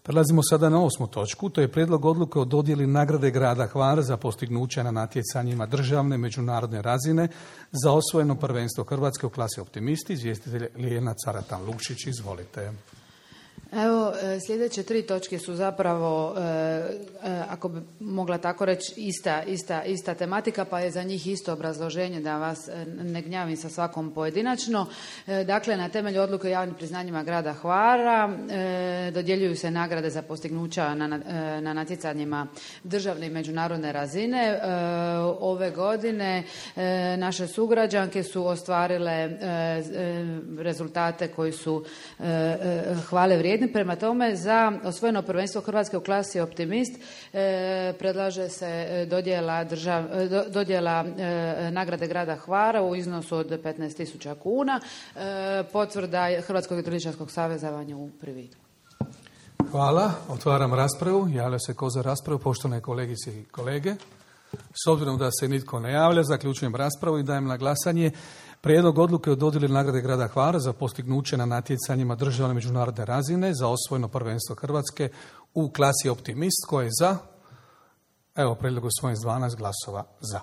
Prelazimo sada na 8. točku, to je prijedlog odluke o dodjeli nagrade grada Hvara za postignuća na natjecanjima državne međunarodne razine za osvojeno prvenstvo Hrvatske u klasi Optimisti. Izvjestitelj Lijena Caratan-Lukšić, izvolite. Evo, sljedeće 3 točke su zapravo, ako bi mogla tako reći, ista tematika, pa je za njih isto obrazloženje da vas ne gnjavim sa svakom pojedinačno. Dakle, na temelju odluke o javnim priznanjima grada Hvara dodjeljuju se nagrade za postignuća na natjecanjima državne i međunarodne razine. Ove godine naše sugrađanke su ostvarile rezultate koji su hvale vrijedni. Prema tome, za osvojeno prvenstvo Hrvatske u klasi Optimist predlaže se dodjela nagrade grada Hvara u iznosu od 15.000 kuna. Potvrda Hrvatskog hidroličarskog saveza vam je u prividu. Hvala. Otvaram raspravu. Javlja se ko za raspravu, poštovane kolegice i kolege. S obzirom da se nitko ne javlja, zaključujem raspravu i dajem na glasanje prijedlog odluke o dodjeli nagrade grada Hvara za postignuće na natjecanjima državne međunarodne razine za osvojeno prvenstvo Hrvatske u klasi Optimist. Ko je za? Evo, prijedlog usvojen s 12 glasova za.